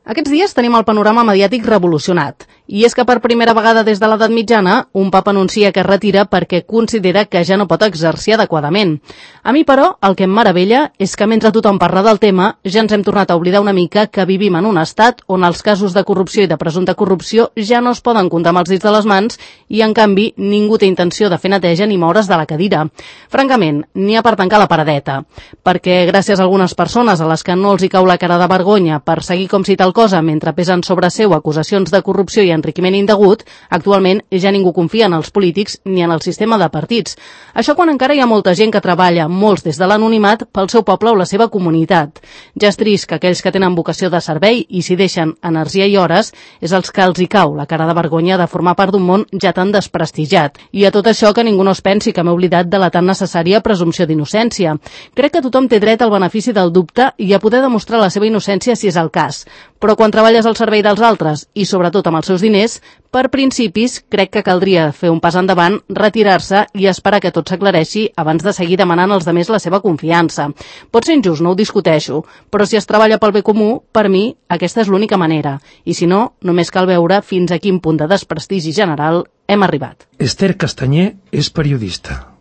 Aquests dies tenim el panorama mediàtic revolucionat. I és que per primera vegada des de l'edat mitjana, un papa anuncia que es retira perquè considera que ja no pot exercir adequadament. A mi, però, el que em meravella és que mentre tothom parla del tema, ja ens hem tornat a oblidar una mica que vivim en un estat on els casos de corrupció i de presumpta corrupció ja no es poden comptar amb els dits de les mans i, en canvi, ningú té intenció de fer neteja ni moure's de la cadira. Francament, n'hi ha per tancar la paradeta. Perquè gràcies a algunes persones a les que no els hi cau la cara de vergonya per seguir com si tal cosa mentre pesen sobre seu acusacions de corrupció i enriquiment indegut, actualment ja ningú confia en els polítics ni en el sistema de partits. Això quan encara hi ha molta gent que treballa, molts des de l'anonimat, pel seu poble o la seva comunitat. Ja és trist que aquells que tenen vocació de servei i s'hi deixen energia i hores és els que els hi cau la cara de vergonya de formar part d'un món ja tan desprestigiat. I a tot això que ningú no es pensi que m'he oblidat de la tan necessària presumpció d'innocència. Crec que tothom té dret al benefici del dubte i a poder demostrar la seva innocència si és el cas. Però quan treballes al servei dels altres, i sobretot amb els seus diners, per principis crec que caldria fer un pas endavant, retirar-se i esperar que tot s'aclareixi abans de seguir demanant als altres la seva confiança. Pot ser injust, no ho discuteixo, però si es treballa pel bé comú, per mi aquesta és l'única manera. I si no, només cal veure fins a quin punt de desprestigi general hem arribat. Esther Castanyer és periodista.